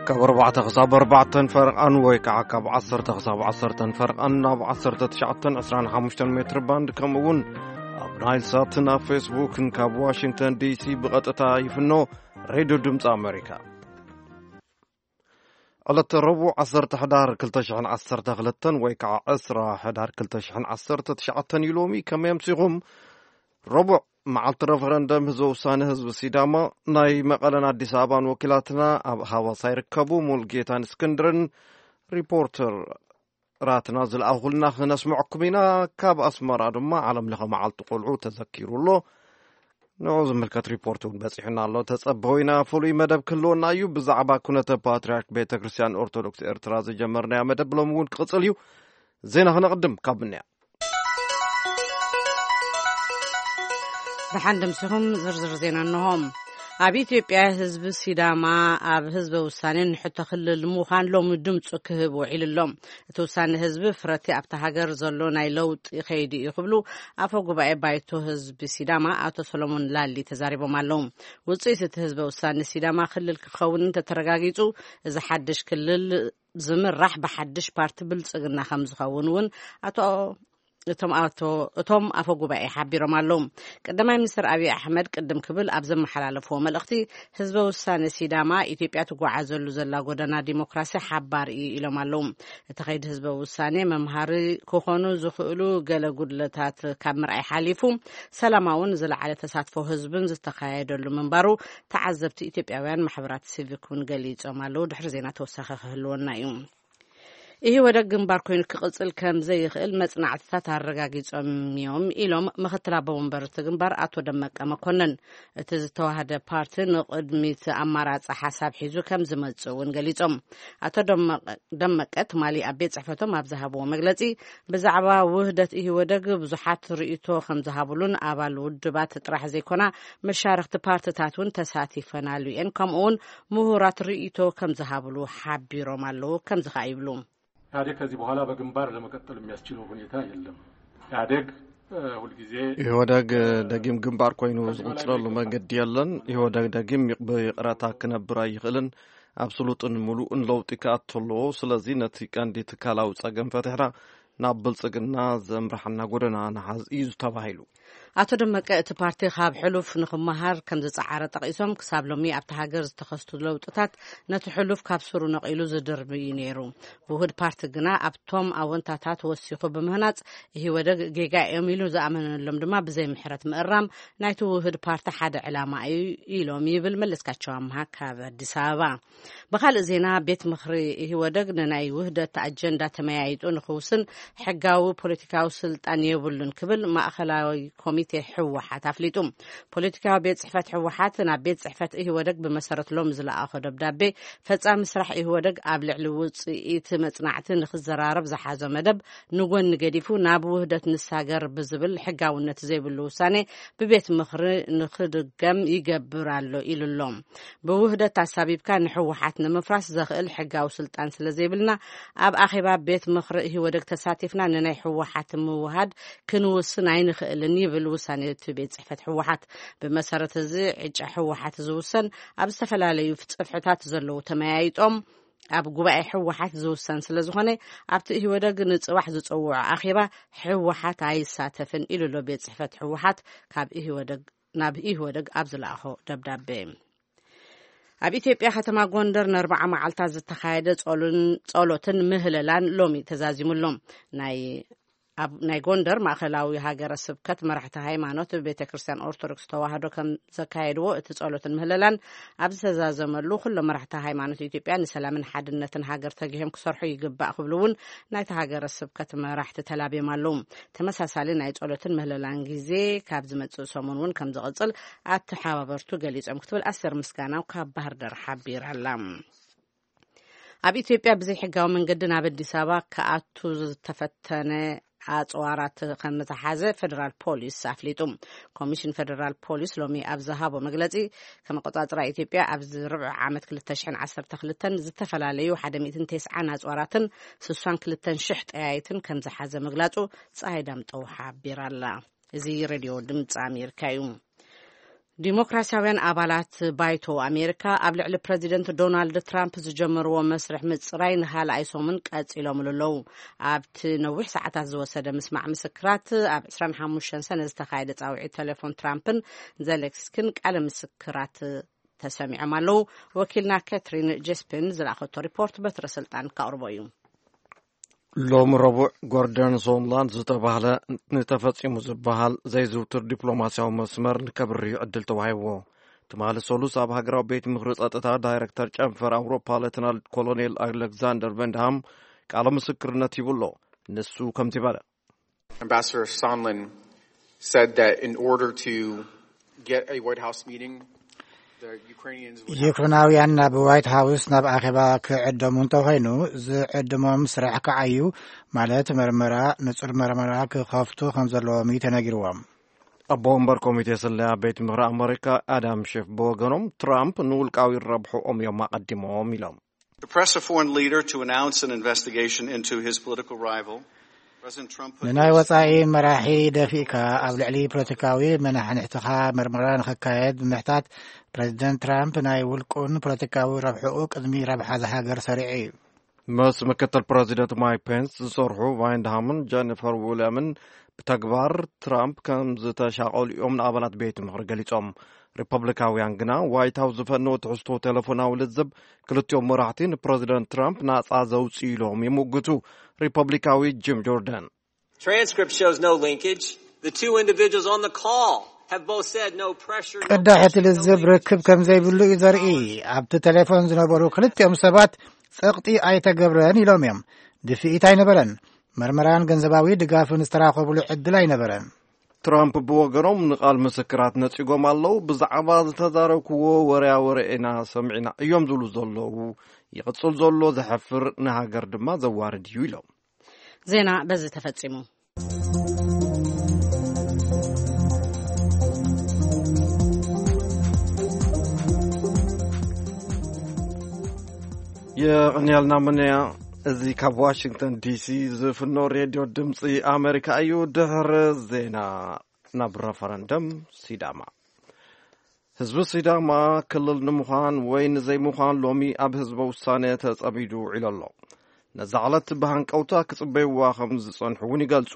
ካብ ኣርባዕተ ክሳብ ኣርባዕተን ፈርቓን ወይ ከዓ ካብ ዓሰርተ ክሳብ ዓሰርተን ፈርቓን ኣብ ዓሰርተ ትሽዓተን ዕስራን ሓሙሽተን ሜትር ባንድ፣ ከምኡ እውን ኣብ ናይል ሳትን ኣብ ፌስቡክን ካብ ዋሽንግተን ዲሲ ብቐጥታ ይፍኖ። ሬድዮ ድምፂ ኣሜሪካ። ዕለተ ረቡዕ ዓሰርተ ሕዳር ክልተ ሽሕን ዓሰርተ ክልተን ወይ ከዓ ዕስራ ሕዳር ክልተ ሽሕን ዓሰርተ ትሽዓተን እዩ ሎሚ። ከመይ ኣምሲኹም? ረቡዕ መዓልቲ ረፈረንደም ህዝበ ውሳነ ህዝቢ ሲዳማ። ናይ መቐለን ኣዲስ ኣበባን ወኪላትና ኣብ ሃዋሳ ይርከቡ። ሙልጌታን እስክንድርን ሪፖርተራትና ዝለኣኹልና ክነስምዐኩም ኢና። ካብ ኣስመራ ድማ ዓለም ለኸ መዓልቲ ቆልዑ ተዘኪሩ ኣሎ። ንዑ ዝምልከት ሪፖርት እውን በፂሑና ኣሎ። ተፀበው ኢና። ፍሉይ መደብ ክህልወና እዩ። ብዛዕባ ኩነተ ፓትርያርክ ቤተ ክርስቲያን ኦርቶዶክስ ኤርትራ ዝጀመርናዮ መደብ ሎም እውን ክቕፅል እዩ። ዜና ክነቕድም ካብ ምንያ። ብሓንድምስኹም ዝርዝር ዜና እንሆም። ኣብ ኢትዮጵያ ህዝቢ ሲዳማ ኣብ ህዝበ ውሳኔ ንሕቶ ክልል ምዃን ሎሚ ድምፁ ክህብ ውዒሉ ኣሎ። እቲ ውሳኔ ህዝቢ ፍረቲ ኣብታ ሃገር ዘሎ ናይ ለውጢ ከይዲ እዩ ክብሉ ኣፈ ጉባኤ ባይቶ ህዝቢ ሲዳማ ኣቶ ሰሎሞን ላሊ ተዛሪቦም ኣለዉ። ውፅኢት እቲ ህዝበ ውሳኔ ሲዳማ ክልል ክኸውን እንተተረጋጊፁ፣ እዚ ሓድሽ ክልል ዝምራሕ ብሓድሽ ፓርቲ ብልፅግና ከም ዝኸውን እውን ኣቶ እቶም ኣቶ እቶም ኣፈ ጉባኤ ሓቢሮም ኣለዉ። ቀዳማይ ሚኒስትር ኣብይ ኣሕመድ ቅድም ክብል ኣብ ዘመሓላለፍዎ መልእኽቲ፣ ህዝበ ውሳኔ ሲዳማ ኢትዮጵያ ትጓዓዘሉ ዘላ ጎደና ዲሞክራሲ ሓባር እዩ ኢሎም ኣለዉ። እቲ ከይዲ ህዝበ ውሳኔ መምሃሪ ክኾኑ ዝኽእሉ ገለ ጉድለታት ካብ ምርኣይ ሓሊፉ፣ ሰላማውን ዝለዓለ ተሳትፎ ህዝብን ዝተኻየደሉ ምንባሩ ተዓዘብቲ ኢትዮጵያውያን ማሕበራት ሲቪክ እውን ገሊጾም ኣለዉ። ድሕሪ ዜና ተወሳኺ ክህልወና እዩ። ኢህወደግ ግንባር ኮይኑ ክቕጽል ከም ዘይኽእል መጽናዕትታት ኣረጋጊጾም እዮም ኢሎም ምኽትል ኣቦ ወንበር እቲ ግንባር ኣቶ ደመቀ መኮንን። እቲ ዝተዋህደ ፓርቲ ንቕድሚት ኣማራጺ ሓሳብ ሒዙ ከም ዝመጽእ እውን ገሊጾም። ኣቶ ደመቀ፣ ደመቀ ትማሊ ኣብ ቤት ጽሕፈቶም ኣብ ዝሃብዎ መግለጺ፣ ብዛዕባ ውህደት ኢህወደግ ብዙሓት ርእይቶ ከም ዝሃብሉን ኣባል ውድባት ጥራሕ ዘይኮና መሻርኽቲ ፓርትታት እውን ተሳቲፈናሉ እየን፣ ከምኡ እውን ምሁራት ርእይቶ ከም ዝሃብሉ ሓቢሮም ኣለዉ። ከምዚ ከኣ ይብሉ። ኢህአዴግ ከዚህ በኋላ በግንባር ለመቀጠል የሚያስችለው ሁኔታ የለም። ኢህአዴግ፣ እ፣ ሁልጊዜ ኢህወደግ፣ እ፣ ደጊም ግንባር ኮይኑ ዝቕጽለሉ መንገዲ የለን። ኢህወደግ ደጊም ይቕ-፣ ብይቕረታ ክነብር ኣይኽእልን። ኣብ ስሉጥን ምሉእን ለውጢ ክኣቱ ኣለዎ። ስለዚ ነቲ ቀንዲ ትካላዊ ጸገም ፈቲሕና ናብ ብልጽግና ዘምርሓና ጎደና ንሓዝ እዩ ተባሂሉ። ኣቶ ደመቀ፣ እቲ ፓርቲ ካብ ሕሉፍ ንክመሃር ከም ዝጸዓረ ጠቒሶም፣ ክሳብ ሎሚ ኣብቲ ሃገር ዝተኸስቱ ለውጥታት ነቲ ሕሉፍ ካብ ስሩ ነቒሉ ዝድርቢ እዩ ነይሩ። ውሁድ ፓርቲ ግና ኣብቶም ኣወንታታት ወሲኹ ብምህናጽ፣ ኢህወደግ ጌጋ እዮም ኢሉ ዝኣመነሎም ድማ ብዘይ ምሕረት ምእራም ናይቲ ውሁድ ፓርቲ ሓደ ዕላማ እዩ ኢሎም ይብል መለስካቸው ኣምሃ ካብ ኣዲስ ኣበባ። ብኻልእ ዜና፣ ቤት ምኽሪ ኢህወደግ ንናይ ውህደት ኣጀንዳ ተመያይጡ ንክውስን ሕጋዊ ፖለቲካዊ ስልጣን የብሉን ክብል ማእኸላዊ ኮሚቴ ህወሓት ኣፍሊጡ። ፖለቲካዊ ቤት ጽሕፈት ህወሓት ናብ ቤት ጽሕፈት ኢህወደግ ብመሰረት ሎም ዝለኣኾ ደብዳቤ፣ ፈጻሚ ስራሕ ኢህወደግ ኣብ ልዕሊ ውጽኢት መጽናዕቲ ንክዘራረብ ዝሓዞ መደብ ንጎኒ ገዲፉ ናብ ውህደት ንሳገር ብዝብል ሕጋውነት ዘይብሉ ውሳኔ ብቤት ምኽሪ ንክድገም ይገብር ኣሎ ኢሉ ኣሎ። ብውህደት ኣሳቢብካ ንህወሓት ንምፍራስ ዘኽእል ሕጋዊ ስልጣን ስለ ዘይብልና፣ ኣብ ኣኼባ ቤት ምኽሪ ኢህወደግ ተሳቲፍና ንናይ ህወሓት ምውሃድ ክንውስን ኣይንኽእልን ይብል ውሳኔ እቲ ቤት ጽሕፈት ህወሓት። ብመሰረት እዚ፣ ዕጫ ህወሓት ዝውሰን ኣብ ዝተፈላለዩ ጽፍሕታት ዘለዉ ተመያይጦም ኣብ ጉባኤ ህወሓት ዝውሰን ስለ ዝኾነ፣ ኣብቲ ኢህወደግ ንጽባሕ ዝጸውዖ ኣኼባ ህወሓት ኣይሳተፍን ኢሉ ኣሎ ቤት ጽሕፈት ህወሓት ካብ ኢህወደግ፣ ናብ ኢህወደግ ኣብ ዝለኣኾ ደብዳቤ። ኣብ ኢትዮጵያ ከተማ ጎንደር ንኣርባዓ መዓልታት ዝተኻየደ ጾሉን-፣ ጾሎትን ምህለላን ሎሚ ተዛዚሙ ኣሎ። ናይ፣ ኣብ ናይ ጎንደር ማእኸላዊ ሃገረ ስብከት መራሕቲ ሃይማኖት ቤተ ክርስቲያን ኦርቶዶክስ ተዋህዶ ከም ዘካየድዎ፣ እቲ ጸሎትን ምህለላን ኣብ ዝተዛዘመሉ፣ ኩሎም መራሕቲ ሃይማኖት ኢትዮጵያ ንሰላምን ሓድነትን ሃገር ተጊሆም ክሰርሑ ይግባእ ክብሉ እውን ናይቲ ሃገረ ስብከት መራሕቲ ተላብዮም ኣለዉ። ተመሳሳሊ ናይ ጸሎትን ምህለላን ግዜ ካብ ዝመጽእ ሰሙን እውን ከም ዝቕጽል ኣተሓባበርቱ ገሊጾም ክትብል ኣሰር ምስጋናው ካብ ባህር ዳር ሓቢራ ኣላ። ኣብ ኢትዮጵያ ብዘይሕጋዊ መንገዲ ናብ ኣዲስ ኣበባ ክኣቱ ዝተፈተነ ኣጽዋራት ከም ዝተሓዘ ፌደራል ፖሊስ ኣፍሊጡ። ኮሚሽን ፌደራል ፖሊስ ሎሚ ኣብ ዝሃቦ መግለጺ፣ ከም ኣቆጻጽራ ኢትዮጵያ ኣብዚ ርብዒ ዓመት ክልተ ሽሕን ዓሰርተ ክልተን ዝተፈላለዩ ሓደ ሚእትን ተስዓን ኣጽዋራትን ስሳን ክልተን ሽሕ ጠያይትን ከም ዝሓዘ ምግላጹ ጸሃይ ዳምጠው ሓቢራ ኣላ። እዚ ሬድዮ ድምፂ ኣሜሪካ እዩ። ዲሞክራሲያውያን ኣባላት ባይቶ ኣሜሪካ ኣብ ልዕሊ ፕረዚደንት ዶናልድ ትራምፕ ዝጀመርዎ መስርሕ ምጽራይ ንኻልኣይ ሰሙን ቀጺሎምሉ ኣለዉ። ኣብቲ ነዊሕ ሰዓታት ዝወሰደ ምስማዕ ምስክራት፣ ኣብ ዕስራን ሓሙሽተን ሰነ ዝተኻየደ ጻውዒት ቴሌፎን ትራምፕን ዘለንስኪን ቃለ ምስክራት ተሰሚዖም ኣለዉ። ወኪልና ካትሪን ጀስፒን ዝለኣኸቶ ሪፖርት በትረ ስልጣን ከቕርቦ እዩ። ሎም ረቡዕ ጎርደን ሶንላንድ ዝተባህለ ንተፈጺሙ ዝበሃል ዘይዝውትር ዲፕሎማሲያዊ መስመር ንከብርህ ዕድል ተዋሂብዎ። ትማሊ ሰሉስ ኣብ ሃገራዊ ቤት ምኽሪ ጸጥታ ዳይረክተር ጨንፈር ኣውሮፓ ሌተናል ኮሎኔል ኣሌክዛንደር ቨንድሃም ቃለ ምስክርነት ሂቡ ኣሎ። ንሱ ከምዚ በለ። Ambassador Sondland said that in order to get a White House meeting, the Ukrainians would have ዩክሬናውያን ናብ ዋይት ሃውስ ናብ ኣኼባ ክዕደሙ እንተኾይኑ፣ ዝዕድሞም ስራሕ ክዓዩ፣ ማለት መርመራ፣ ንጹር መርመራ ክኸፍቱ ከም ዘለዎም እዩ ተነጊርዎም። ኣቦ ወንበር ኮሚቴ ስለያ ቤት ምኽሪ ኣመሪካ ኣዳም ሼፍ ብወገኖም፣ ትራምፕ ንውልቃዊ ረብሕኦም እዮም ኣቐዲሞም ኢሎም። To press a foreign leader to announce an investigation into his political rival, President Trump put ንናይ ወጻኢ መራሒ ደፊእካ ኣብ ልዕሊ ፖለቲካዊ መናሕንሕትኻ መርመራ ንኽካየድ ብምሕታት፣ ፕረዚደንት ትራምፕ ናይ ውልቁን ፖለቲካዊ ረብሕኡ ቅድሚ ረብሓ እዛ ሃገር ሰሪዑ እዩ። ምስ ምክትል ፕረዚደንት ማይክ ፔንስ ዝሰርሑ ቫይንድሃምን ጀኒፈር ዊልያምን ብተግባር ትራምፕ ከም ዝተሻቐሉ እዮም ንኣባላት ቤት ምኽሪ ገሊጾም። ሪፐብሊካውያን ግና ዋይት ሃውስ ዝፈነወ ትሕዝቶ ቴሌፎናዊ ልዝብ ክልቲኦም መራሕቲ ንፕረዚደንት ትራምፕ ናጻ ዘውፅኡ ኢሎም ይምግቱ። ሪፐብሊካዊ ጂም ጆርዳን Transcript shows no linkage. The two individuals on the call have both said no pressure, no ቅዳሕ እቲ pressure, no ልዝብ linkage. ርክብ ከም ዘይብሉ እዩ ዘርኢ። ኣብቲ ቴሌፎን ዝነበሩ ክልቲኦም ሰባት ጸቕጢ ኣይተገብረን ኢሎም እዮም። ድፍኢት ኣይነበረን። መርመራን ገንዘባዊ ድጋፍን ዝተራኸቡሉ ዕድል ኣይነበረን። ትራምፕ ብወገኖም ንቓል ምስክራት ነጺጎም ኣለዉ። ብዛዕባ ዝተዛረብክዎ ወርያ ወረ ኢና ሰሚዕና እዮም ዝብሉ ዘለዉ። ይቕጽል ዘሎ ዘሕፍር፣ ንሃገር ድማ ዘዋርድ እዩ ኢሎም። ዜና በዚ ተፈጺሙ። የቐንያልና ምንያ። እዚ ካብ ዋሽንግተን ዲሲ ዝፍኖ ሬድዮ ድምፂ ኣሜሪካ እዩ። ድሕሪ ዜና ናብ ረፈረንደም ሲዳማ። ህዝቢ ሲዳማ ክልል ንምዃን ወይ ንዘይምዃን ሎሚ ኣብ ህዝበ ውሳነ ተጸሚዱ ውዒሉ ኣሎ። ነዛ ዕለት ብሃንቀውታ ክጽበይዋ ከም ዝጸንሑ እውን ይገልጹ።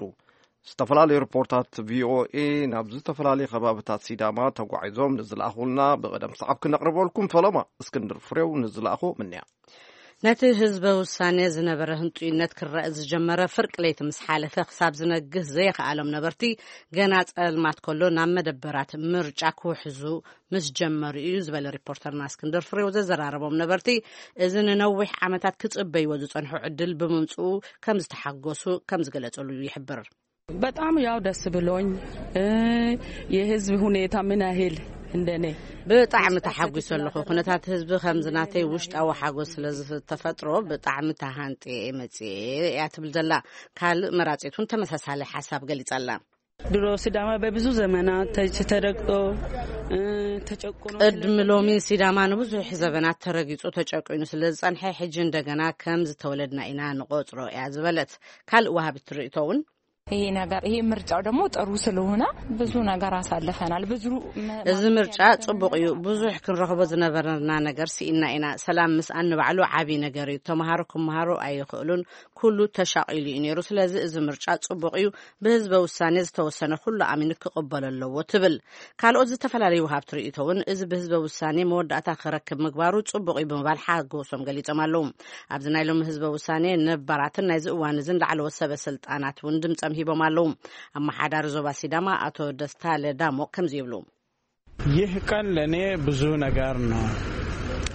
ዝተፈላለዩ ሪፖርታት ቪኦኤ ናብ ዝተፈላለዩ ከባብታት ሲዳማ ተጓዒዞም ንዝለኣኹልና ብቐደም ሰዓብ ክነቕርበልኩም። ፈለማ እስክንድር ፍሬው ንዝለኣኹ ምንያ። ነቲ ህዝበ ውሳኔ ዝነበረ ህንጡይነት ክረእ ዝጀመረ ፍርቂ ለይቲ ምስ ሓለፈ ክሳብ ዝነግህ ዘየኸኣሎም ነበርቲ፣ ገና ጸልማት ከሎ ናብ መደበራት ምርጫ ክውሕዙ ምስ ጀመሩ እዩ ዝበለ ሪፖርተርና እስክንድር ፍሬው ዘዘራረቦም ነበርቲ፣ እዚ ንነዊሕ ዓመታት ክጽበይዎ ዝጸንሑ ዕድል ብምምጽኡ ከም ዝተሓጎሱ ከም ዝገለጸሉ ይሕብር። በጣም ያው ደስ ብሎኝ፣ የህዝብ ሁኔታ ምን ያህል እንደኔ ብጣዕሚ ተሓጒሰ ኣለኹ። ኩነታት ህዝቢ ከምዚ ናተይ ውሽጣዊ ሓጎስ ስለ ዝተፈጥሮ ብጣዕሚ ተሃንጥየ እየ መጽየ እያ ትብል ዘላ። ካልእ መራጺት እውን ተመሳሳሊ ሓሳብ ገሊጻ ኣላ። ድሮ ሲዳማ በብዙ ዘመናት ተች ተረግጦ፣ ተጨቁኖ ቅድሚ ሎሚ ሲዳማ ንብዙሕ ዘበናት ተረጊጹ ተጨቂኑ ስለ ዝጸንሐ፣ ሕጂ እንደገና ከም ዝተወለድና ኢና ንቆጽሮ እያ ዝበለት ካልእ ወሃቢት ርእይቶ እውን፣ ይሄ ነገር፣ ይሄ ምርጫው ደግሞ ጥሩ ስለሆነ ብዙ ነገር አሳልፈናል። ብዙ እዚ ምርጫ ጽቡቕ እዩ። ብዙሕ ክንረኽቦ ዝነበረና ነገር ስኢና ኢና። ሰላም ምስኣን ንባዕሉ ዓቢ ነገር እዩ። ተምሃሮ ክምሃሩ ኣይኽእሉን። ኩሉ ተሻቒሉ እዩ ነይሩ። ስለዚ እዚ ምርጫ ጽቡቕ እዩ። ብህዝበ ውሳኔ ዝተወሰነ ኩሉ ኣሚኑ ክቕበሎ ኣለዎ ትብል። ካልኦት ዝተፈላለዩ ወሃብቲ ርእይቶ እውን እዚ ብህዝበ ውሳኔ መወዳእታ ክረክብ ምግባሩ ጽቡቕ እዩ ብምባል ሓጎሶም ገሊጾም ኣለዉ። ኣብዚ ናይ ሎሚ ህዝበ ውሳኔ ነባራትን ናይዚ እዋን እዝን ላዕለዎት ሰበ ስልጣናት እውን ድምጸም ሂቦም ኣለዉ። ኣመሓዳሪ ዞባ ሲዳማ ኣቶ ደስታ ለዳሞ ከምዚ ይብሉ። ይህ ቀን ለእኔ ብዙ ነገር ነው።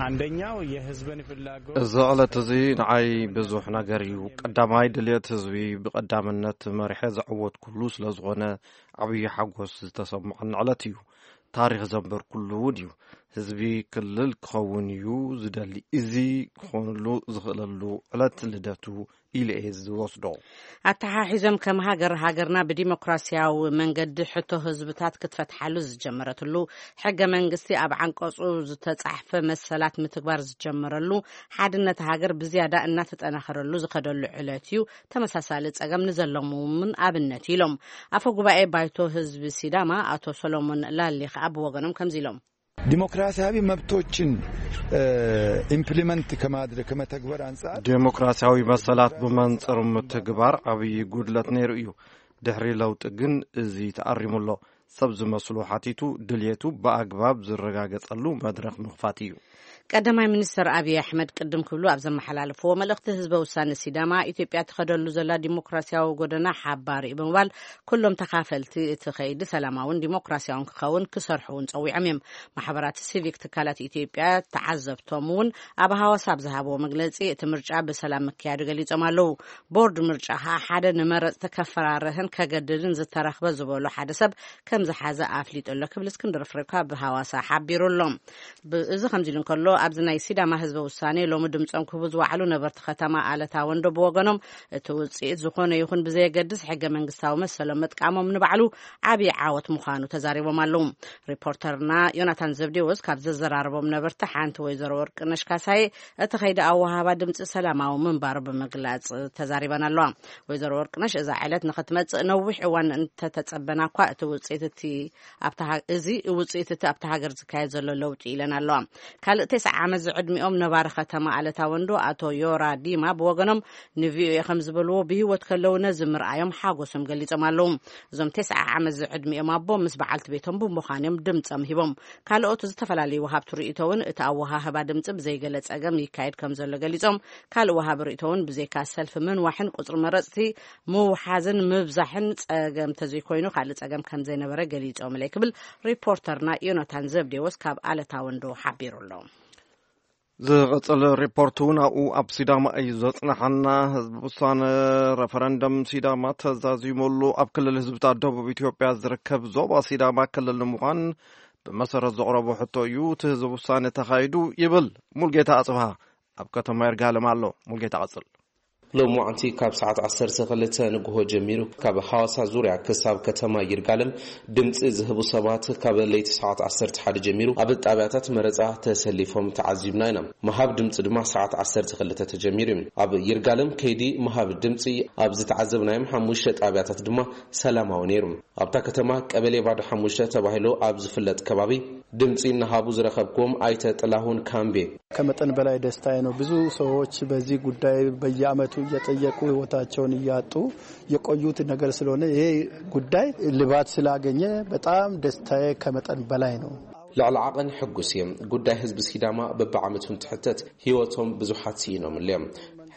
አንደኛው የህዝብን ፍላጎት እዚ ዕለት እዚ ንዓይ ብዙሕ ነገር እዩ። ቀዳማይ ድልየት ህዝቢ ብቐዳምነት መሪሐ ዘዕወትኩሉ ስለ ዝኾነ ዓብዪ ሓጎስ ዝተሰምዐኒ ዕለት እዩ። ታሪኽ ዘንበርኩሉ እውን እዩ። ህዝቢ ክልል ክኸውን እዩ ዝደሊ። እዚ ክኾንሉ ዝኽእለሉ ዕለት ልደቱ ኢሉ እየ ዝወስዶ። ኣተሓሒዞም ከም ሃገር፣ ሃገርና ብዲሞክራሲያዊ መንገዲ ሕቶ ህዝብታት ክትፈትሓሉ ዝጀመረትሉ፣ ሕገ መንግስቲ ኣብ ዓንቀጹ ዝተጻሕፈ መሰላት ምትግባር ዝጀመረሉ፣ ሓድነት ሃገር ብዝያዳ እናተጠናኸረሉ ዝኸደሉ ዕለት እዩ። ተመሳሳሊ ጸገም ንዘለዎም እውን ኣብነት ኢሎም። ኣፈ ጉባኤ ባይቶ ህዝቢ ሲዳማ ኣቶ ሰሎሞን ላሊ ከኣ ብወገኖም ከምዚ ኢሎም። ዲሞክራሲያዊ መብቶችን ኢምፕሊመንት ከማድረግ ከመተግበር አንጻር ዴሞክራሲያዊ መሰላት ብመንጽር ምትግባር ዓብዪ ጉድለት ነይሩ እዩ። ድሕሪ ለውጢ ግን እዚ ተኣሪሙ ኣሎ። ሰብ ዝመስሉ ሓቲቱ ድልየቱ ብኣግባብ ዝረጋገጸሉ መድረኽ ምኽፋት እዩ። ቀዳማይ ሚኒስትር ኣብይ ኣሕመድ ቅድም ክብሉ ኣብ ዘመሓላለፍዎ መልእኽቲ፣ ህዝበ ውሳነ ሲዳማ ኢትዮጵያ ትኸደሉ ዘላ ዲሞክራሲያዊ ጎደና ሓባሪ እዩ ብምባል፣ ኩሎም ተኻፈልቲ እቲ ኸይዲ ሰላማውን ዲሞክራሲያውን ክኸውን ክሰርሑ እውን ጸዊዖም እዮም። ማሕበራት ሲቪክ ትካላት ኢትዮጵያ ተዓዘብቶም እውን ኣብ ሃዋሳ ኣብ ዝሃብዎ መግለጺ፣ እቲ ምርጫ ብሰላም ምክያዱ ገሊጾም ኣለዉ። ቦርድ ምርጫ ኸኣ ሓደ ንመረጽቲ ከፈራርህን ከገድድን ዝተረኽበ ዝበሎ ሓደ ሰብ ከም ዝሓዘ ኣፍሊጡ ኣሎ ክብል እስክንድር ፍሬው ካብ ሃዋሳ ሓቢሩ ኣሎ። ብ-፣ እዚ ከምዚ ኢሉ እንከሎ፣ ኣብዚ ናይ ሲዳማ ህዝበ ውሳኔ ሎሚ ድምጾም ክህቡ ዝወዓሉ ነበርቲ ከተማ ኣለታ ወንዶ ብወገኖም፣ እቲ ውጽኢት ዝኾነ ይኹን ብዘየገድስ ሕገ መንግስታዊ መሰሎም ምጥቃሞም ንባዕሉ ዓብዪ ዓወት ምዃኑ ተዛሪቦም ኣለዉ። ሪፖርተርና ዮናታን ዘብዴዎስ ካብ ዘዘራረቦም ነበርቲ ሓንቲ ወይዘሮ ወርቅነሽ ካሳዬ፣ እቲ ኸይዲ ኣወሃህባ ድምጺ ሰላማዊ ምንባሩ ብምግላጽ ተዛሪበን ኣለዋ። ወይዘሮ ወርቅነሽ፣ እዛ ዕለት ንኽትመጽእ ነዊሕ እዋን እንተተጸበና እኳ፣ እቲ ውጽኢት እቲ ኣብታ ሃ-፣ እዚ ውጽኢት እቲ ኣብታ ሃገር ዝካየድ ዘሎ ለውጢ ኢለን ኣለዋ። ካልእ ተስዓ ዓመት ዝዕድሚኦም ነባሪ ከተማ ኣለታ ወንዶ ኣቶ ዮራ ዲማ ብወገኖም ንቪኦኤ ከም ዝበልዎ፣ ብህይወት ከለዉ ነዚ ምርኣዮም ሓጎሶም ገሊጾም ኣለዉ። እዞም ተስዓ ዓመት ዝዕድሚኦም ኣቦ ምስ በዓልቲ ቤቶም ብምዃን እዮም ድምጾም ሂቦም። ካልኦት ዝተፈላለዩ ወሃብቲ ርእይቶ እውን እቲ ኣወሃህባ ድምጺ ብዘይገለ ጸገም ይካየድ ከም ዘሎ ገሊጾም፣ ካልእ ወሃቢ ርእይቶ እውን ብዘይካ ሰልፊ ምንዋሕን ቁጽሪ መረጽቲ ምውሓዝን ምብዛሕን ጸገም ተዘይኮይኑ ካልእ ጸገም ከም ዘይነበረ ገሊጾምለይ ክብል ሪፖርተርና ዮናታን ዘብዴዎስ ካብ ኣለታ ወንዶ ሓቢሩ ኣሎ። ዝቐጽል ሪፖርት እውን ኣብኡ ኣብ ሲዳማ እዩ ዘጽንሓና። ህዝቢ ውሳነ ረፈረንደም ሲዳማ ተዛዚሙሉ ኣብ ክልል ህዝብታት ደቡብ ኢትዮጵያ ዝርከብ ዞባ ሲዳማ ክልል ንምዃን ብመሰረት ዘቕረቦ ሕቶ እዩ እቲ ህዝቢ ውሳነ ተኻይዱ ይብል ሙልጌታ ኣጽብሃ ኣብ ከተማ ይርጋለም ኣሎ። ሙልጌታ ቀጽል። ሎማዓንቲ ካብ ሰዓት ዓሰርተ ክልተ ንግሆ ጀሚሩ ካብ ሃዋሳ ዙርያ ክሳብ ከተማ ይርጋለም ድምፂ ዝህቡ ሰባት ካብ ለይቲ ሰዓት ዓሰርተ ሓደ ጀሚሩ ኣብ ጣብያታት መረፃ ተሰሊፎም ተዓዚብና ኢና። ምሃብ ድምፂ ድማ ሰዓት ዓሰርተ ክልተ ተጀሚሩ እዩ። ኣብ ይርጋለም ከይዲ ምሃብ ድምፂ ኣብ ዝተዓዘብናዮም ሓሙሽተ ጣብያታት ድማ ሰላማዊ ነይሩ። ኣብታ ከተማ ቀበሌ ባዶ ሓሙሽተ ተባሂሉ ኣብ ዝፍለጥ ከባቢ ድምፂ እናሃቡ ዝረኸብኩዎም ኣይተ ጥላሁን ካምቤ፣ ከመጠን በላይ ደስታዬ ነው። ብዙ ሰዎች በዚህ ጉዳይ በየዓመቱ እየጠየቁ ህይወታቸውን እያጡ የቆዩት ነገር ስለሆነ ይሄ ጉዳይ ልባት ስላገኘ በጣም ደስታዬ ከመጠን በላይ ነው። ልዕሊ ዓቐን ሕጉስ እየ። ጉዳይ ህዝቢ ሲዳማ በብዓመቱ እንትሕተት ህይወቶም ብዙሓት ስኢኖምሉ እዮም።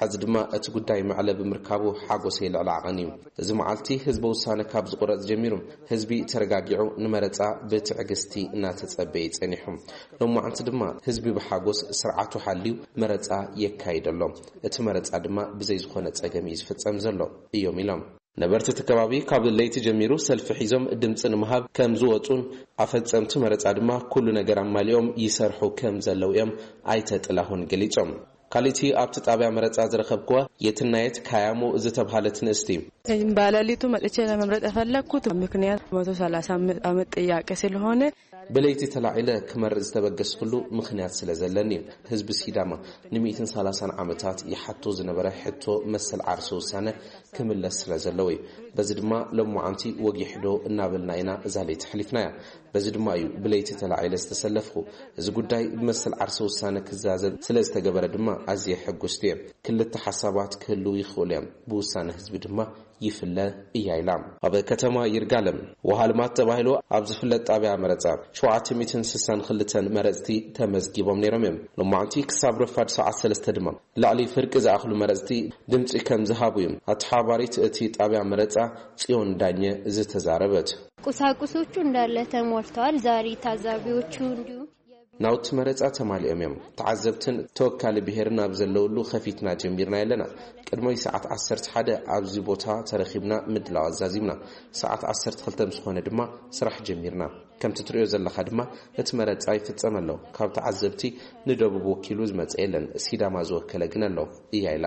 ሕዚ ድማ እቲ ጉዳይ መዕለቢ ምርካቡ ሓጎሰይ ልዕሊ ዓቐን እዩ። እዚ መዓልቲ ህዝበ ውሳነ ካብ ዝቑረጽ ጀሚሩ ህዝቢ ተረጋጊዑ ንመረጻ ብትዕግስቲ እናተጸበየ ጸኒሑ። ሎማዓንቲ ድማ ህዝቢ ብሓጎስ ስርዓቱ ሓልዩ መረጻ የካይድ ኣሎ። እቲ መረጻ ድማ ብዘይ ዝኾነ ጸገም እዩ ዝፍጸም ዘሎ እዮም ኢሎም። ነበርቲ እቲ ከባቢ ካብ ለይቲ ጀሚሩ ሰልፊ ሒዞም ድምፂ ንምሃብ ከም ዝወፁን ኣፈፀምቲ መረፃ ድማ ኩሉ ነገር ኣማሊኦም ይሰርሑ ከም ዘለዉ እዮም ኣይተ ጥላሁን ገሊፆም። ካልእቲ ኣብቲ ጣብያ መረፃ ዝረኸብክዋ የትናየት ካያሞ ዝተብሃለት ንእስቲ፣ በሌሊቱ መጥቼ ለመምረጥ የፈለግኩት ምክንያት መቶ ሰላሳ ዓመት ጥያቄ ስለሆነ። ብለይቲ ተላዒለ ክመርፅ ዝተበገስኩሉ ምኽንያት ስለ ዘለኒ እዩ። ህዝቢ ሲዳማ ንሚእትን ሰላሳን ዓመታት ይሓቶ ዝነበረ ሕቶ መሰል ዓርሰ ውሳነ ክምለስ ስለ ዘለዎ እዩ። በዚ ድማ ሎማዓንቲ ወጊሕዶ እናበልና ኢና እዛ ለይቲ ኣሕሊፍናያ። በዚ ድማ እዩ ብለይቲ ተላዒለ ዝተሰለፍኩ። እዚ ጉዳይ ብመሰል ዓርሰ ውሳነ ክዛዘም ስለ ዝተገበረ ድማ ኣዝየ ሕጉስቲ እየ። ክልተ ሓሳባት ክህልዉ ይኽእሉ እዮም፣ ብውሳነ ህዝቢ ድማ ይፍለ እያ ኢላ። ኣብ ከተማ ይርጋለም ወሃልማት ተባሂሉ ኣብ ዝፍለጥ ጣብያ መረፃ ሸውዓተ ሚእትን ስሳን ክልተን መረፅቲ ተመዝጊቦም ነይሮም እዮም። ሎማዕንቲ ክሳብ ረፋድ ሰዓት ሰለስተ ድማ ልዕሊ ፍርቂ ዝኣኽሉ መረፅቲ ድምፂ ከም ዝሃቡ እዮም ኣተሓባሪት እቲ ጣብያ መረፃ ፅዮን ዳኘ ዝተዛረበት። ቁሳቁሶቹ እንዳለ ተሞልተዋል። ዛሬ ታዛቢዎቹ እንዲሁም ናውቲ መረጻ ተማሊኦም እዮም። ተዓዘብትን ተወካሊ ብሄርን ኣብ ዘለውሉ ከፊትና ጀሚርና ኣለና። ቅድሞይ ሰዓት ዓሰርተ ሓደ ኣብዚ ቦታ ተረኺብና ምድላው ኣዛዚምና። ሰዓት ዓሰርተ ክልተ ምስ ኾነ ድማ ስራሕ ጀሚርና። ከምቲ ትሪኦ ዘለኻ ድማ እቲ መረጻ ይፍጸም ኣሎ። ካብ ተዓዘብቲ ንደቡብ ወኪሉ ዝመጸ የለን። ሲዳማ ዝወከለ ግን ኣሎ እያ ኢላ።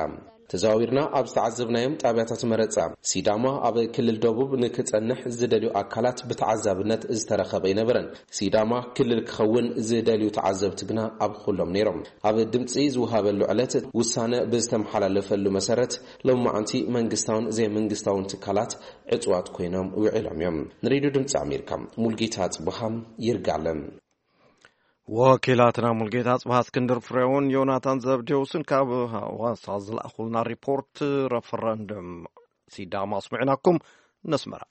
ተዘዋዊርና ኣብ ዝተዓዘብናዮም ጣብያታት መረጻ፣ ሲዳማ ኣብ ክልል ደቡብ ንክጸንሕ ዝደልዩ ኣካላት ብተዓዛብነት ዝተረኸበ ኣይነበረን። ሲዳማ ክልል ክኸውን ዝደልዩ ተዓዘብቲ ግና ኣብ ኩሎም ነይሮም። ኣብ ድምጺ ዝወሃበሉ ዕለት ውሳነ ብዝተመሓላለፈሉ መሰረት፣ ሎማዓንቲ መንግስታውን ዘይመንግስታውን ትካላት ዕጽዋት ኮይኖም ውዒሎም እዮም። ንሬድዮ ድምጺ ኣሜሪካ፣ ሙልጌታ ጽቡሃም ይርጋለም። ወኪላትና ሙልጌታ ጽባህ፣ እስክንድር ፍሬውን ዮናታን ዘብዴዎስን ካብ ሃዋሳ ዝለኣኹልና ሪፖርት፣ ረፈረንደም ሲዳማ ኣስሚዕናኩም። ነስመራ።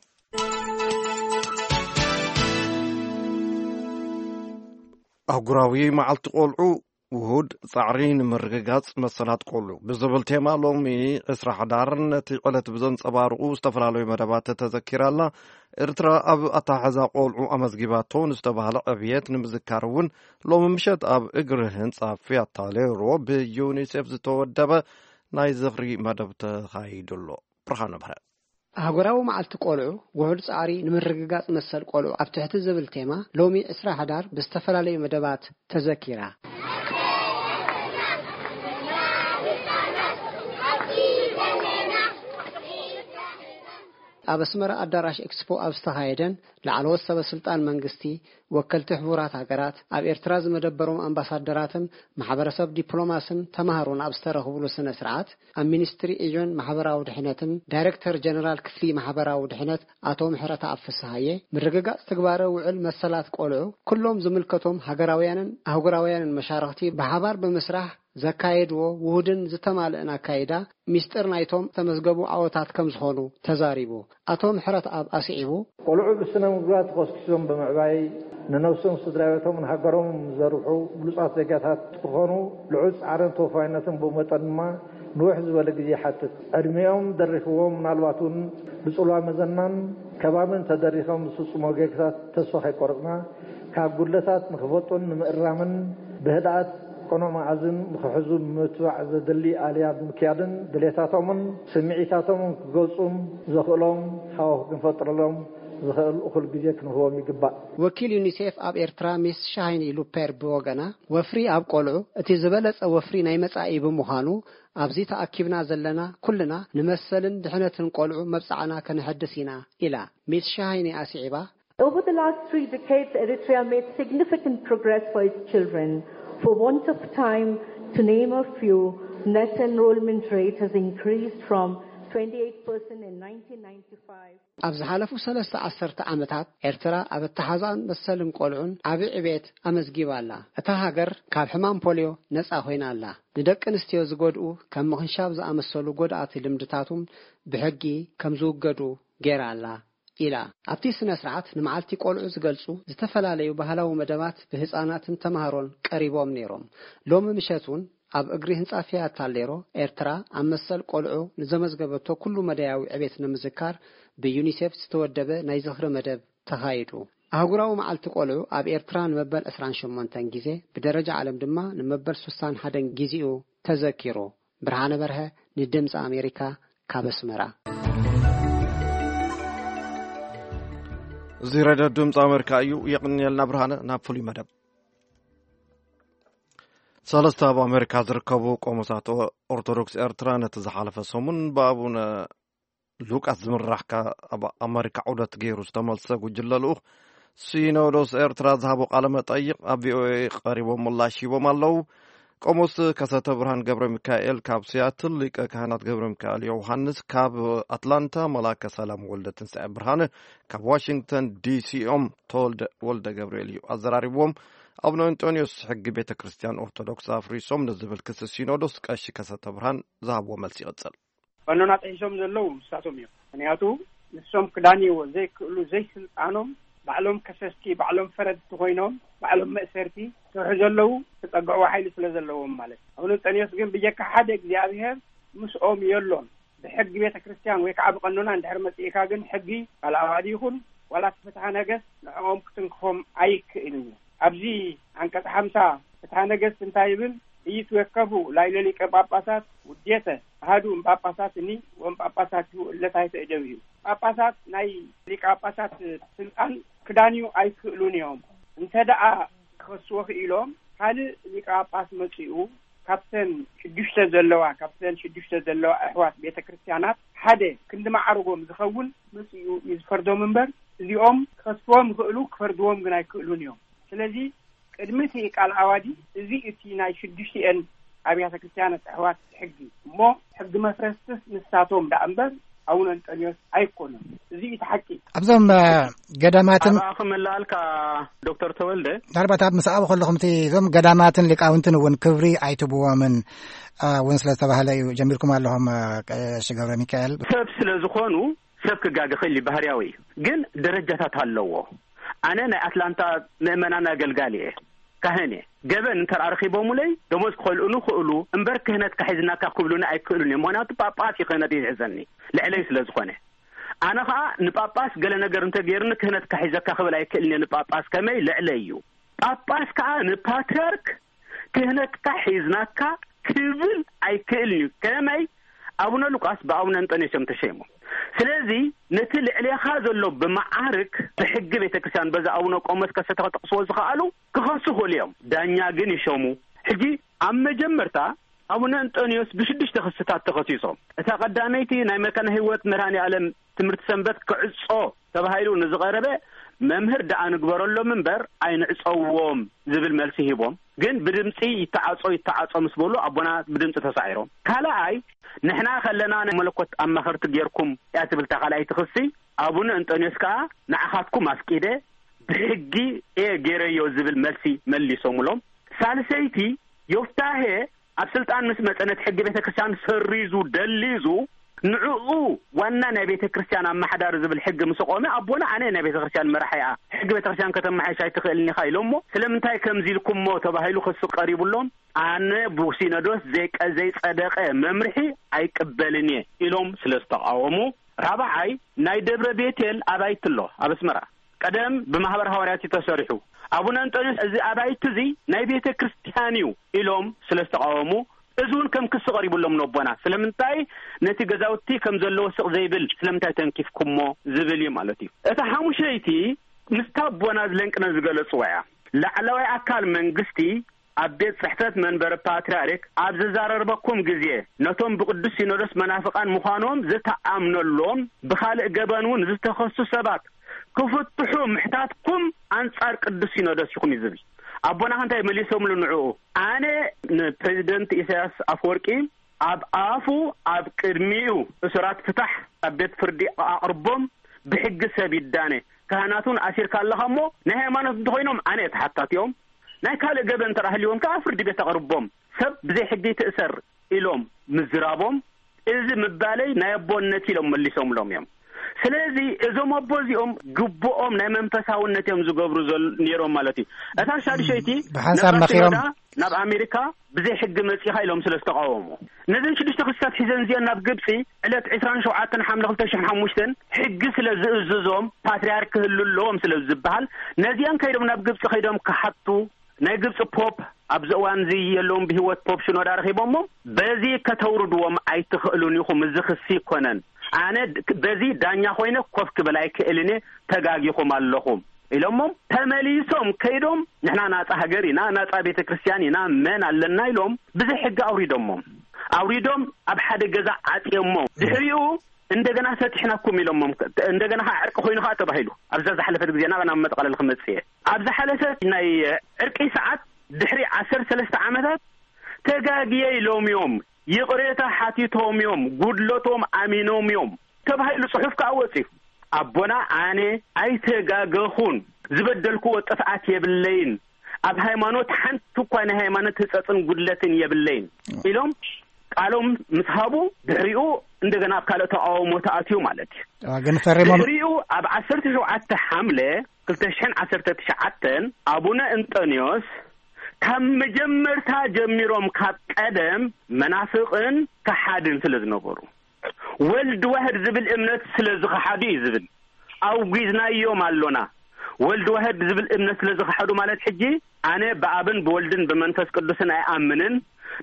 ኣህጉራዊ መዓልቲ ቆልዑ፣ ውሁድ ጻዕሪ ንምርግጋጽ መሰላት ቆልዑ ብዝብል ቴማ፣ ሎሚ ዕስራ ሕዳር ነቲ ዕለት ብዘንጸባርቑ ዝተፈላለዩ መደባት ተዘኪራ ኣላ። ኤርትራ ኣብ ኣተሓሕዛ ቆልዑ ኣመዝጊባቶ ንዝተባህለ ዕብየት ንምዝካር እውን፣ ሎሚ ምሸት ኣብ እግሪ ህንጻ ፊያታ ሌሮ ብዩኒሴፍ ዝተወደበ ናይ ዝኽሪ መደብ ተኻይዱ ኣሎ። ብርሃነ ብርሀ። ኣህጉራዊ መዓልቲ ቆልዑ፣ ውሑድ ጻዕሪ ንምርግጋጽ መሰል ቆልዑ ኣብ ትሕቲ ዝብል ቴማ፣ ሎሚ ዕስራ ሕዳር ብዝተፈላለዩ መደባት ተዘኪራ። ኣብ ኣስመራ ኣዳራሽ ኤክስፖ ኣብ ዝተኻየደን፣ ላዕለዎት ሰበ ስልጣን መንግስቲ፣ ወከልቲ ሕቡራት ሃገራት፣ ኣብ ኤርትራ ዝመደበሮም ኣምባሳደራትን ማሕበረሰብ ዲፕሎማስን ተማሃሮን ኣብ ዝተረኽብሉ ስነ ስርዓት፣ ኣብ ሚኒስትሪ ኤዮን ማሕበራዊ ድሕነትን ዳይሬክተር ጀነራል ክፍሊ ማሕበራዊ ድሕነት ኣቶ ምሕረተኣብ ፍስሃየ፣ ምርግጋጽ ትግባረ ውዕል መሰላት ቆልዑ ኩሎም ዝምልከቶም ሃገራውያንን ኣህጉራውያንን መሻርኽቲ ብሓባር ብምስራሕ ዘካየድዎ ውሁድን ዝተማልእን ኣካይዳ፣ ሚስጥር ናይቶም ዝተመዝገቡ ዓወታት ከም ዝኾኑ ተዛሪቡ። ኣቶ ምሕረተኣብ ኣስዒቡ፣ ቆልዑ ብስነ ምግባር ተኾስኪሶም ብምዕባይ፣ ንነብሶም፣ ስድራ ቤቶምን ሃገሮምን ዘርብሑ ብሉጻት ዜጋታት ክኾኑ ልዑል ጻዕርን ተወፋይነትን፣ ብኡ መጠን ድማ ንውሕ ዝበለ ግዜ ይሓትት። ዕድሚኦም ደሪኽዎም፣ ምናልባት እውን ብጽልዋ መዘናን ከባብን ተደሪኾም ዝፍጽሞ ጌጋታት ተስፋ ከይቆረጽና፣ ካብ ጉድለታት ንኽፈልጡን ንምእራምን ብህድኣት ቅኑዕ መኣዝን ንኽሕዙ ንምትባዕ ዘድሊ ኣልያ ብምክያድን፣ ድሌታቶምን ስምዒታቶምን ክገልጹን ዘኽእሎም ሃዋሁ ክንፈጥረሎም ዝኽእል እኹል ግዜ ክንህቦም ይግባእ። ወኪል ዩኒሴፍ ኣብ ኤርትራ ሚስ ሻሃይኒ ሉፔር ብወገና፣ ወፍሪ ኣብ ቆልዑ እቲ ዝበለጸ ወፍሪ ናይ መጻኢ ብምዃኑ፣ ኣብዚ ተኣኪብና ዘለና ኩልና ንመሰልን ድሕነትን ቆልዑ መብጽዓና ከነሐድስ ኢና ኢላ። ሚስ ሻሃይኒ ኣስዒባ፣ Over the last three decades, Eritrea made significant progress for its children. For want of time, to name a few, net enrollment rate has increased from twenty-eight percent in nineteen ninety-five. ኣብ ዝሓለፉ ሰለስተ ዓሰርተ ዓመታት፣ ኤርትራ ኣብ ኣተሓዛን መሰልን ቆልዑን ዓቢ ዕቤት ኣመዝጊባ ኣላ። እታ ሃገር ካብ ሕማም ፖልዮ ነጻ ኮይና ኣላ። ንደቂ ኣንስትዮ ዝጎድኡ ከም ምኽንሻብ ዝኣመሰሉ ጎድኣቲ ልምድታቱን ብሕጊ ከም ዝውገዱ ገይራ ኣላ ኢላ። ኣብቲ ስነ ስርዓት ንመዓልቲ ቆልዑ ዝገልጹ ዝተፈላለዩ ባህላዊ መደባት ብህጻናትን ተማሃሮን ቀሪቦም ነይሮም። ሎሚ ምሸት እውን ኣብ እግሪ ህንጻ ፊያታ ሌሮ ኤርትራ ኣብ መሰል ቆልዑ ንዘመዝገበቶ ኩሉ መዳያዊ ዕቤት ንምዝካር ብዩኒሴፍ ዝተወደበ ናይ ዝኽሪ መደብ ተኻይዱ። ኣህጉራዊ መዓልቲ ቆልዑ ኣብ ኤርትራ ንመበል ዕስራን ሸሞንተን ግዜ፣ ብደረጃ ዓለም ድማ ንመበል ሱሳን ሓደን ግዜኡ ተዘኪሩ። ብርሃነ በርሀ፣ ንድምፂ ኣሜሪካ፣ ካብ ኣስመራ። እዚ ሬድዮ ድምፂ ኣሜሪካ እዩ። የቕንየልና ብርሃነ። ናብ ፍሉይ መደብ። ሰለስተ ኣብ ኣሜሪካ ዝርከቡ ቆሞሳት ኦርቶዶክስ ኤርትራ ነቲ ዝሓለፈ ሰሙን ብኣቡነ ሉቃስ ዝምራሕ ካብ ኣሜሪካ ዑደት ገይሩ ዝተመልሰ ጉጅለ ልኡኽ ሲኖዶስ ኤርትራ ዝሃቦ ቃለ መጠይቕ ኣብ ቪኦኤ ቀሪቦም ምላሽ ሂቦም ኣለዉ። ቆሞስ ከሰተ ብርሃን ገብረ ሚካኤል ካብ ሲያትል፣ ሊቀ ካህናት ገብረ ሚካኤል ዮሃንስ ካብ ኣትላንታ፣ መላከ ሰላም ወልደ ትንሳኤ ብርሃነ ካብ ዋሽንግተን ዲሲ እዮም። ተወልደ ወልደ ገብርኤል እዩ ኣዘራሪብዎም። ኣቡነ እንጦንዮስ ሕጊ ቤተ ክርስቲያን ኦርቶዶክስ ኣፍሪሶም ንዝብል ክሲ ሲኖዶስ ቀሺ ከሰተ ብርሃን ዝሃብዎ መልሲ ይቕጽል። ቀኖና ጥሒሶም ዘለዉ ንሳቶም እዮም። ምኽንያቱ ንሶም ክዳንይዎ ዘይክእሉ፣ ዘይስልጣኖም፣ ባዕሎም ከሰስቲ፣ ባዕሎም ፈረድቲ ኮይኖም፣ ባዕሎም መእሰርቲ ክሰርሑ ዘለዉ፣ ክጸግዕዎ ሓይሊ ስለ ዘለዎም ማለት እዩ። ኣቡነ እንጠንዮስ ግን ብጀካ ሓደ እግዚኣብሔር ምስኦም የሎን። ብሕጊ ቤተ ክርስቲያን ወይ ከዓ ብቀኖና እንድሕር መጺእካ ግን ሕጊ ካልኣዋዲ ይኹን ዋላ እቲ ፍትሐ ነገስት ንዕኦም ክትንክፎም ኣይክእልን እዩ። ኣብዚ ዓንቀጽ ሓምሳ ፍትሐ ነገስት እንታይ ይብል? ኢይትወከፉ ላዕለ ሊቀ ጳጳሳት ውዴተ፣ ኣሃዱ እምጳጳሳትኒ ወእምጳጳሳቲሁ እለ ታሕተ እደዊሁ። ጳጳሳት ናይ ሊቀ ጳጳሳት ስልጣን ክዳንዩ ኣይክእሉን እዮም። እንተ ደኣ ክኸስዎ ክኢሎም፣ ካልእ ሊቀ ጳጳስ መጺኡ ካብተን ሽዱሽተ ዘለዋ፣ ካብተን ሽዱሽተ ዘለዋ ኣሕዋት ቤተ ክርስቲያናት ሓደ ክንዲ ማዕርጎም ዝኸውን መጺኡ እዩ ዝፈርዶም እምበር፣ እዚኦም ክኸስዎም ይኽእሉ፣ ክፈርድዎም ግን ኣይክእሉን እዮም። ስለዚ ቅድሚ እቲ ቃል ዓዋዲ፣ እዚ እቲ ናይ ሽዱሽቲኤን ኣብያተ ክርስቲያናት ኣሕዋት ሕጊ እሞ፣ ሕጊ መፍረስትስ ንሳቶም ደኣ እምበር ኣቡነ እንጠንዮስ ኣይኮኑን። እዚ እዩ እቲ ሓቂ። ኣብዞም እ፣ ገዳማትን ኣባኣ ክመልኣልካ ዶክተር ተወልደ። ምናልባት ኣብ ምስ ኣብኡ ከለኹም እቲ እዞም ገዳማትን ሊቃውንትን እውን ክብሪ ኣይትብዎምን እ፣ እውን ስለ ዝተባህለ እዩ ጀሚርኩም ኣለኹም እ፣ ቀሺ ገብረ ሚካኤል። ሰብ ስለ ዝኾኑ ሰብ ክጋገ ክእል እዩ፣ ባህርያዊ እዩ። ግን ደረጃታት ኣለዎ። ኣነ ናይ ኣትላንታ ምእመናን ኣገልጋሊ እየ፣ ካህን እየ። ገበን እንተ ረኺቦሙለይ ደሞዝ ክኸልኡኑ ክእሉ እምበር ክህነት ካሒዝናካ ክብሉኒ ኣይክእሉን እዮም። ምኽንያቱ ጳጳስ እዩ ክህነት ዝሕዘኒ፣ ልዕለይ ስለ ዝኾነ። ኣነ ኸኣ ንጳጳስ ገለ ነገር እንተ ገይሩኒ ክህነት ካሒዘካ ክብል ኣይክእልን እየ። ንጳጳስ ከመይ ልዕለይ እዩ። ጳጳስ ከኣ ንፓትርያርክ ክህነትካ ሒዝናካ ክብል ኣይክእልን እዩ። ከመይ ኣቡነ ሉቃስ ብኣቡነ እንጠንዮስ እዮም ተሸይሞም። ስለዚ ነቲ ልዕሌኻ ዘሎ ብመዓርግ ብሕጊ ቤተ ክርስቲያን በዚ ኣቡነ ቆሞስ ከሰተ ክጠቕስዎ ዝኸኣሉ ክኸሱ ክእሉ እዮም። ዳኛ ግን ይሸሙ። ሕጂ ኣብ መጀመርታ ኣቡነ እንጠንዮስ ብሽዱሽተ ክስታት ተኸሲሶም። እታ ቀዳመይቲ ናይ መካነ ህይወት መድኃኔ ዓለም ትምህርቲ ሰንበት ክዕጾ ተባሂሉ ንዝቐረበ መምህር ደኣ ንግበረሎም እምበር ኣይንዕጸዎም ዝብል መልሲ ሂቦም። ግን ብድምጺ ይተዓጾ ይተዓጾ ምስ በሉ ኣቦና ብድምጺ ተሳዒሮም። ካልኣይ ንሕና ከለና ናይ መለኮት ኣማኸርቲ ጌርኩም እያ ትብል እታ ካልኣይቲ ክሲ። ኣቡነ እንጠንዮስ ከኣ ንዓኻትኩም ኣፍቂደ ብሕጊ እየ ጌረዮ ዝብል መልሲ መሊሶምሎም። ሳልሰይቲ ዮፍታሄ ኣብ ስልጣን ምስ መጸ ነቲ ሕጊ ቤተ ክርስቲያን ሰሪዙ ደሊዙ ንዕኡ ዋና ናይ ቤተ ክርስቲያን ኣመሓዳሪ ዝብል ሕጊ ምስ ቆመ ኣቦና ኣነ ናይ ቤተ ክርስቲያን መራሒ እያ፣ ሕጊ ቤተ ክርስቲያን ከተመሓይሽ ኣይትኽእልን ኢኻ ኢሎሞ። ስለምንታይ ከምዚ ኢልኩሞ ተባሂሉ ክሲ ቀሪቡሎም። ኣነ ብሲኖዶስ ዘይቀ-፣ ዘይጸደቐ መምርሒ ኣይቅበልን እየ ኢሎም ስለ ዝተቃወሙ። ራብዓይ ናይ ደብረ ቤቴል ኣባይቲ ኣሎ ኣብ ኣስመራ። ቀደም ብማህበር ሃዋርያት እዩ ተሰሪሑ። ኣቡነ እንጠንዮስ እዚ ኣባይቲ እዚ ናይ ቤተ ክርስቲያን እዩ ኢሎም ስለ ዝተቃወሙ፣ እዚ እውን ከም ክሲ ቀሪቡሎም ነቦና። ስለምንታይ ነቲ ገዛውቲ ከም ዘለዎ ስቕ ዘይብል ስለምንታይ ተንኪፍኩሞ ዝብል እዩ ማለት እዩ። እታ ሓሙሸይቲ ምስታ ኣቦና ዝለንቅነ ዝገለጽዋ እያ። ላዕለዋይ ኣካል መንግስቲ ኣብ ቤት ጽሕፈት መንበሪ ፓትርያርክ ኣብ ዝዛረበኩም ግዜ፣ ነቶም ብቅዱስ ሲኖዶስ መናፍቃን ምዃኖም ዝተኣምነሎም ብኻልእ ገበን እውን ዝተኸሱ ሰባት ክፍትሑ ምሕታትኩም ኣንጻር ቅዱስ ሲኖዶስ ኢኹም እዩ ዝብል። ኣቦና እንታይ መሊሶምሉ ንዕኡ? ኣነ ንፕሬዚደንት ኢሳያስ ኣፈወርቂ ኣብ ኣፉ ኣብ ቅድሚኡ እሱራት ፍታሕ ኣብ ቤት ፍርዲ ኣቕርቦም ብሕጊ ሰብ ይዳነ። ካህናት እውን ኣሲርካ ኣለኻ እሞ ናይ ሃይማኖት እንተኾይኖም ኣነ እየ ተሓታቲኦም። ናይ ካልእ ገበን እንተ ሃልይዎም ከኣ ፍርዲ ቤት ኣቕርቦም። ሰብ ብዘይ ሕጊ ይትእሰር ኢሎም ምዝራቦም፣ እዚ ምባለይ ናይ ኣቦነት ኢሎም መሊሶምሎም እዮም። ስለዚ እዞም ኣቦ እዚኦም ግቡኦም ናይ መንፈሳውነት እዮም ዝገብሩ ዘል-፣ ነይሮም ማለት እዩ። እታ ሻድሸይቲ ብሓንሳብ ነብራ መኺሮም። ሲኖዳ ናብ ኣሜሪካ ብዘይ ሕጊ መጺኻ ኢሎም ስለ ዝተቃወሙ፣ ነዘን ሽዱሽተ ክስታት ሒዘን እዚአን ናብ ግብጺ ዕለት ዕስራን ሸውዓተን ሓምለ ክልተ ሽሕን ሓሙሽተን ሕጊ ስለ ዝእዝዞም ፓትርያርክ ክህሉ ኣለዎም ስለ ዝበሃል፣ ነዚአን ከይዶም ናብ ግብጺ ከይዶም ክሓቱ ናይ ግብጺ ፖፕ ኣብዚ እዋን እዚ የለውን ብህይወት፣ ፖፕ ሽኖዳ ረኺቦሞ። በዚ ከተውርድዎም ኣይትኽእሉን ኢኹም፣ እዚ ክሲ ይኮነን። ኣነ ድ-፣ በዚ ዳኛ ኮይነ ኮፍ ክብል ኣይክእልን እየ፣ ተጋጊኹም ኣለኹም ኢሎሞም። ተመሊሶም ከይዶም ንሕና ናጻ ሃገር ኢና፣ ናጻ ቤተ ክርስቲያን ኢና፣ መን ኣለና ኢሎም ብዘይ ሕጊ ኣውሪዶሞም። ኣውሪዶም ኣብ ሓደ ገዛ ዓጽዮሞም። ድሕሪኡ እንደገና ፈቲሕናኩም ኢሎሞም። እንደገና ከዓ ዕርቂ ኮይኑ ከዓ ተባሂሉ። ኣብዛ ዝሓለፈት ግዜ ናብ፣ ናብ መጠቓለሊ ክመጽእ እየ። ኣብ ዝሓለፈ ናይ ዕርቂ ሰዓት ድሕሪ ዓሰርተ ሰለስተ ዓመታት ተጋግየ ኢሎም እዮም፣ ይቕሬታ ሓቲቶም እዮም፣ ጉድለቶም ኣሚኖም እዮም ተባሂሉ ጽሑፍ ከዓ ወጺኡ። ኣቦና ኣነ ኣይተጋገኹን፣ ዝበደልክዎ ጥፍኣት የብለይን፣ ኣብ ሃይማኖት ሓንቲ እኳ ናይ ሃይማኖት ህጸጽን ጉድለትን የብለይን ኢሎም ቃሎም ምስ ሃቡ፣ ድሕሪኡ እንደገና ኣብ ካልእ ተቃውሞ ተኣትዩ ማለት እዩ። ኣዎ፣ ግን ፈሪሞም ድሕሪኡ ኣብ ዓሰርተ ሸውዓተ ሓምለ ክልተ ሽሕን ዓሰርተ ትሽዓተን ኣቡነ እንጠንዮስ ካብ መጀመርታ ጀሚሮም ካብ ቀደም መናፍቕን ከሓድን ስለ ዝነበሩ፣ ወልድ ዋህድ ዝብል እምነት ስለ ዝኸሓዱ እዩ ዝብል። ኣውጊዝናዮም ኣሎና። ወልድ ዋህድ ዝብል እምነት ስለ ዝኸሓዱ ማለት ሕጂ ኣነ ብኣብን ብወልድን ብመንፈስ ቅዱስን ኣይኣምንን፣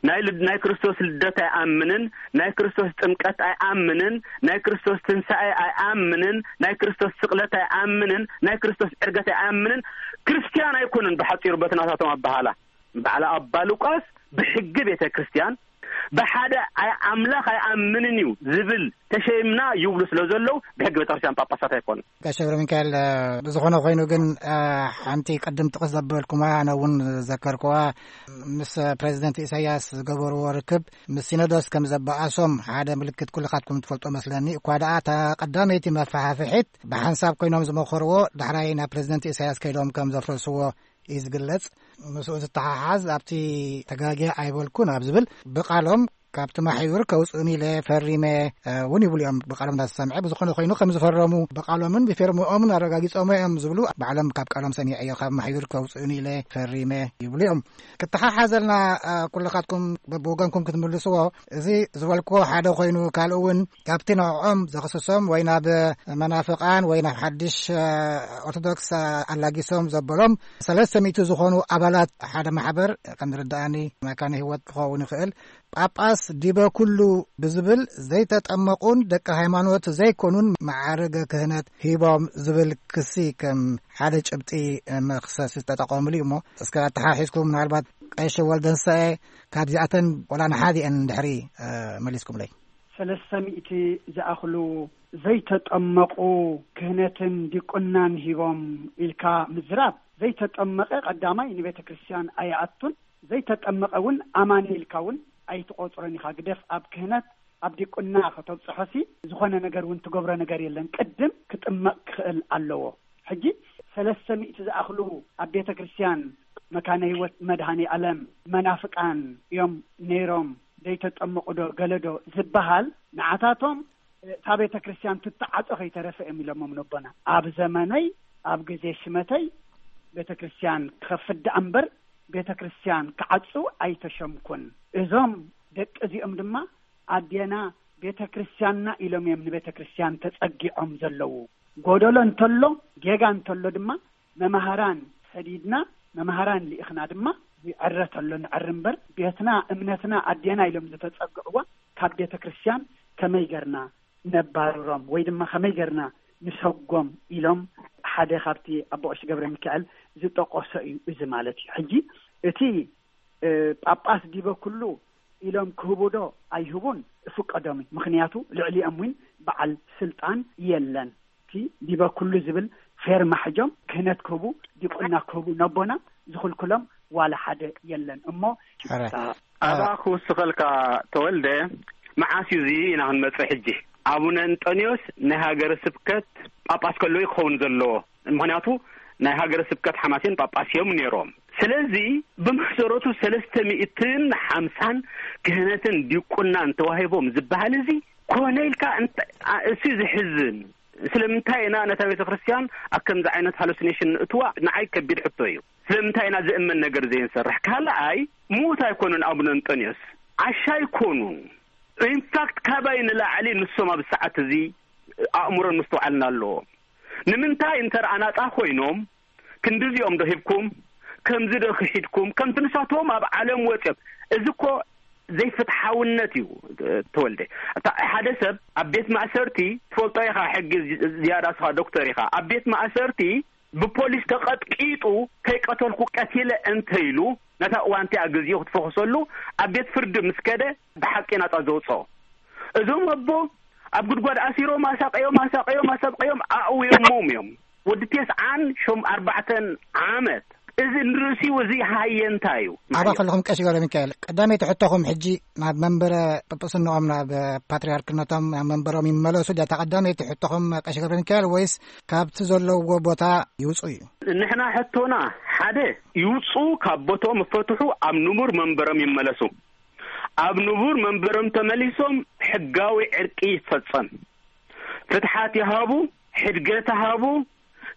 ናይ ልድ-፣ ናይ ክርስቶስ ልደት ኣይኣምንን፣ ናይ ክርስቶስ ጥምቀት ኣይኣምንን፣ ናይ ክርስቶስ ትንሳኤ ኣይኣምንን፣ ናይ ክርስቶስ ስቕለት ኣይኣምንን፣ ናይ ክርስቶስ ዕርገት ኣይኣምንን፣ ክርስትያን ኣይኮኑን። ብሓጺሩ በቲ ናታቶም ኣበሃላ በዓል ኣባ ሉቃስ ብሕጊ ቤተ ክርስትያን ብሓደ ኣይ-፣ ኣምላኽ ኣይኣምንን እዩ ዝብል ተሸይምና ይብሉ ስለ ዘለዉ ብሕጊ ቤተ ክርስትያን ጳጳሳት ኣይኮኑን። ጋሽ ገብረ ሚካኤል፣ ብዝኾነ ኮይኑ ግን፣ ሓንቲ ቅድም ጥቕስ ዘበልኩማ፣ ኣነ እውን ዘከርኩዋ፣ ምስ ፕሬዚደንት ኢሳያስ ዝገበርዎ ርክብ ምስ ሲኖዶስ ከም ዘበኣሶም ሓደ ምልክት ኩልኻትኩም ትፈልጦ መስለኒ። እኳ ደኣ እታ ቀዳመይቲ መፈሓፍሒት ብሓንሳብ ኮይኖም ዝመኸርዎ ዳሕራይ ናብ ፕሬዚደንት ኢሳያስ ከይዶም ከም ዘፍረስዎ እዩ ዝግለጽ። ምስኡ ዝተሓሓዝ ኣብቲ ተጋግየ ኣይበልኩን ኣብ ዝብል ብቃሎም ካብቲ ማሕዩር ከውፅኡን ኢለ ፈሪመ እውን ይብሉ እዮም። ብቃሎም እንዳተሰምዐ ብዝኾነ ኮይኑ ከም ዝፈረሙ ብቃሎምን ብፌርምኦምን ኣረጋጊጾም እዮም ዝብሉ ባዕሎም ካብ ቃሎም ሰሚዐዮ። ካብ ማሕዩር ከውፅኡን ኢለ ፈሪመ ይብሉ እዮም። ክተሓሓዘልና ኩልኻትኩም በብወገንኩም ክትምልስዎ፣ እዚ ዝበልክዎ ሓደ ኮይኑ ካልእ እውን ካብቲ ንዕኦም ዘኽስሶም ወይ ናብ መናፍቃን ወይ ናብ ሓድሽ ኦርቶዶክስ ኣላጊሶም ዘበሎም ሰለስተ ሚእቲ ዝኾኑ ኣባላት ሓደ ማሕበር ከም ዝርድኣኒ መካነ ህይወት ክኸውን ይኽእል። ጳጳስ ዲበ ኩሉ ብዝብል ዘይተጠመቁን ደቂ ሃይማኖት ዘይኮኑን መዓርገ ክህነት ሂቦም ዝብል ክሲ ከም ሓደ ጭብጢ መኽሰስ ዝተጠቐሙሉ እዩ። እሞ እስከ ኣተሓሒዝኩም ምናልባት ቀሺ ወልደንሳኤ ካብዚኣተን ወላ ንሓዲአን እንድሕሪ መሊስኩምለይ። ሰለስተ ሚእቲ ዝኣኽሉ ዘይተጠመቑ ክህነትን ዲቁናን ሂቦም ኢልካ ምዝራብ፣ ዘይተጠመቐ ቀዳማይ ንቤተ ክርስቲያን ኣይኣቱን፣ ዘይተጠመቐ እውን ኣማኒ ኢልካ እውን ኣይትቆፅሮን ኢኻ። ግደፍ ኣብ ክህነት ኣብ ዲቁና ከተብፅሖሲ ዝኾነ ነገር እውን ትገብሮ ነገር የለን። ቅድም ክጥመቕ ክኽእል ኣለዎ። ሕጂ ሰለስተ ሚእቲ ዝኣኽሉ ኣብ ቤተ ክርስቲያን መካነ ህይወት መድኃኔ ዓለም መናፍቃን እዮም ነይሮም፣ ዘይተጠመቑ ዶ ገለ ዶ ዝበሃል ንዓታቶም እታ ቤተ ክርስቲያን ትተዓጾ ከይተረፈ እዮም ኢሎሞም ነቦና። ኣብ ዘመነይ ኣብ ግዜ ሽመተይ ቤተ ክርስቲያን ክኸፍት ደኣ እምበር ቤተ ክርስቲያን ክዓጹ ኣይተሸምኩን። እዞም ደቂ እዚኦም ድማ ኣዴና ቤተ ክርስቲያንና ኢሎም እዮም ንቤተ ክርስቲያን ተጸጊዖም ዘለዉ። ጎደሎ እንተሎ ጌጋ እንተሎ ድማ መማህራን ሰዲድና መማህራን ልኢኽና ድማ ይዕረ ተሎ ንዕሪ እምበር ቤትና እምነትና ኣዴና ኢሎም ዝተጸግዕዋ ካብ ቤተ ክርስቲያን ከመይ ገርና ነባርሮም ወይ ድማ ከመይ ገርና ንሰጎም ኢሎም ሓደ ካብቲ ኣቦ ቀሺ ገብረ ሚካኤል ዝጠቀሶ እዩ እዚ ማለት እዩ። ሕጂ እቲ ጳጳስ ዲበ ኩሉ ኢሎም ክህቡ ዶ ኣይህቡን ፍቀዶም እዩ። ምኽንያቱ ልዕሊኦም እውን በዓል ስልጣን የለን። እቲ ዲበ ኩሉ ዝብል ፌርማ ሕጆም ክህነት ክህቡ ዲቁና ክህቡ ነቦና ዝኽልክሎም ዋላ ሓደ የለን። እሞ ሕራይ። ኣባ ክውስኸልካ ተወልደ፣ መዓስ እዩ እዚ ኢና ክንመጽእ ሕጂ? ኣቡነ እንጠንዮስ ናይ ሃገረ ስብከት ጳጳስ ከለዉ ክኸውን ዘለዎ። ምኽንያቱ ናይ ሃገረ ስብከት ሓማሴን ጳጳስ እዮም ነይሮም። ስለዚ ብመሰረቱ ሰለስተ ሚእትን ሓምሳን ክህነትን ዲቁናን ተዋሂቦም ዝበሃል እዚ ኮነ ኢልካ እንተ-፣ ኣ-፣ እሱ ዝሕዝን። ስለምንታይ ኢና ነታ ቤተ ክርስቲያን ኣብ ከምዚ ዓይነት ሃሉሲኔሽን ንእትዋ ንዓይ ከቢድ ሕቶ እዩ። ስለምንታይ ኢና ዝእመን ነገር ዘይንሰርሕ? ካልኣይ ምዉት ኣይኮኑን ኣቡነ እንጠንዮስ፣ ዓሻ ኣይኮኑን። ኢንፋክት ካባይ ንላዕሊ ንሶም ኣብ ሰዓት እዚ ኣእምሮን ምስትውዓልን ኣለዎም። ንምንታይ እንተ ኣናጻ ኮይኖም ክንድዚኦም ዶ ሂብኩም፣ ከምዚ ዶ ክሒድኩም፣ ከምቲ ንሳቶም ኣብ ዓለም ወጽዮም? እዚ እኮ ዘይፍትሓውነት እዩ። ተወልደ፣ እታ ሓደ ሰብ ኣብ ቤት ማእሰርቲ ትፈልጦ ኢኻ፣ ሕጊ ዝ-፣ ዝያዳ ስኻ ዶክተር ኢኻ። ኣብ ቤት ማእሰርቲ ብፖሊስ ተቐጥቂጡ ከይቀተልኩ ቀቲለ እንተ ኢሉ ነታ እዋን እቲኣ ግዜኡ ክትፈኹሰሉ ኣብ ቤት ፍርዲ ምስ ከደ ብሓቂ ናጻ ዘውጽኦ። እዞም ኣቦ ኣብ ጉድጓድ ኣሲሮም ኣሳቀዮም ኣሳቀዮም ኣሳቀዮም ኣእውዮሞም እዮም። ወዲ ቴስዓን ሾም ኣርባዕተን ዓመት እዚ ንርእሲኡ እዚ ሃየንታ እዩ። ኣባ ከለኹም ቀሺ ገብረ ሚካኤል፣ ቀዳመይቲ ሕቶኹም ሕጂ ናብ መንበረ ጵጵስንኦም ናብ ፓትርያርክነቶም ናብ መንበሮም ይመለሱ ድያ? እታ ቀዳመይቲ ሕቶኹም ቀሺ ገብረ ሚካኤል ወይስ ካብቲ ዘለውዎ ቦታ ይውፁ እዩ? ንሕና ሕቶና ሓደ ይውፁ፣ ካብ ቦትኦም ይፈትሑ፣ ኣብ ንቡር መንበሮም ይመለሱ። ኣብ ንቡር መንበሮም ተመሊሶም ሕጋዊ ዕርቂ ይፈጸም። ፍትሓት ይሃቡ፣ ሕድገት ይሃቡ።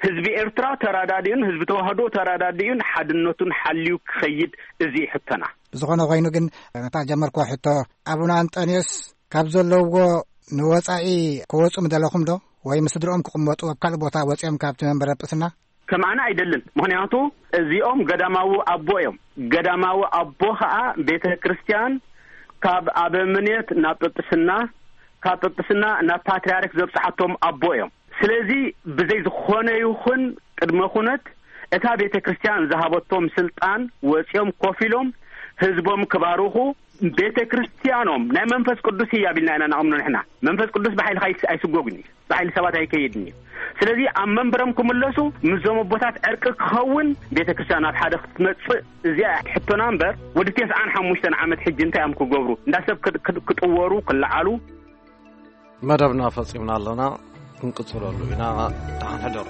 ህዝቢ ኤርትራ ተራዳዲኡን ህዝቢ ተዋህዶ ተራዳዲኡን ሓድነቱን ሓልዩ ክኸይድ እዚ እዩ ሕቶና። ብዝኾነ ኮይኑ ግን ነታ ጀመርኩዋ ሕቶ፣ ኣቡነ ኣንጠንዮስ ካብ ዘለውዎ ንወጻኢ ክወጹ ምደለኹም ዶ? ወይ ምስ ስድርኦም ክቕመጡ ኣብ ካልእ ቦታ ወጺኦም ካብቲ መንበረ ጵስና? ሰማዕና ኣይደልን። ምኽንያቱ እዚኦም ገዳማዊ ኣቦ እዮም። ገዳማዊ ኣቦ ኸዓ ቤተ ክርስቲያን ካብ ኣበምኔት ናብ ጵጵስና፣ ካብ ጵጵስና ናብ ፓትርያርክ ዘብጽሓቶም ኣቦ እዮም። ስለዚ ብዘይ ዝኾነ ይኹን ቅድመ ኩነት እታ ቤተ ክርስቲያን ዝሃበቶም ስልጣን ወጺኦም ኮፍ ኢሎም ህዝቦም ክባርኹ፣ ቤተ ክርስቲያኖም ናይ መንፈስ ቅዱስ ህያብ ኢልና ኢና ነኣምኖ ንሕና። መንፈስ ቅዱስ ብሓይልኻ ኣይስ-፣ ኣይስጎግን እዩ፣ ብሓይሊ ሰባት ኣይከይድን እዩ። ስለዚ ኣብ መንበሮም ክምለሱ ምስዞም ኣቦታት ዕርቂ ክኸውን፣ ቤተ ክርስቲያን ናብ ሓደ ክትመጽእ፣ እዚኣ ሕቶና እምበር፣ ወዲ ተስዓን ሓሙሽተን ዓመት ሕጂ እንታይ እዮም ክገብሩ? እንዳ ሰብ ክጥ-፣ ክጥ-፣ ክጥወሩ፣ ክለዓሉ። መደብና ፈጺምና ኣለና፣ ክንቅጽለሉ ኢና። ደሓን ሕደሩ።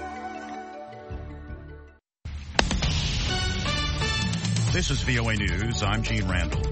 This is V O A News. I'm Gene Randall.